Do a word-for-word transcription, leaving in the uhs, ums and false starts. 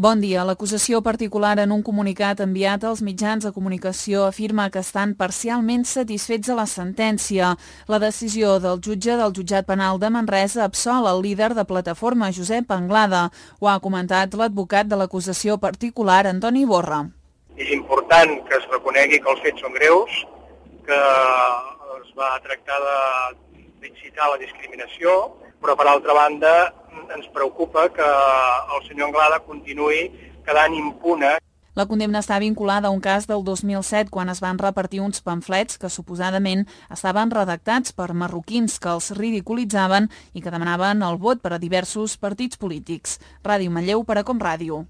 Bon dia. L'acusació particular en un comunicat enviat als mitjans de comunicació afirma que estan parcialment satisfets de la sentència. La decisió del jutge del jutjat penal de Manresa absol el líder de Plataforma, Josep Anglada. Ho ha comentat l'advocat de l'acusació particular, Antoni Borra. És important que es reconegui que els fets són greus, que es va tractar d'incitar la discriminació, però per altra banda ens preocupa que el senyor Anglada continuï quedant impune. La condemna està vinculada a un cas del dos mil set quan es van repartir uns pamflets que suposadament estaven redactats per marroquins que els ridiculitzaven i que demanaven el vot per a diversos partits polítics. Ràdio Manlleu per a Com Ràdio.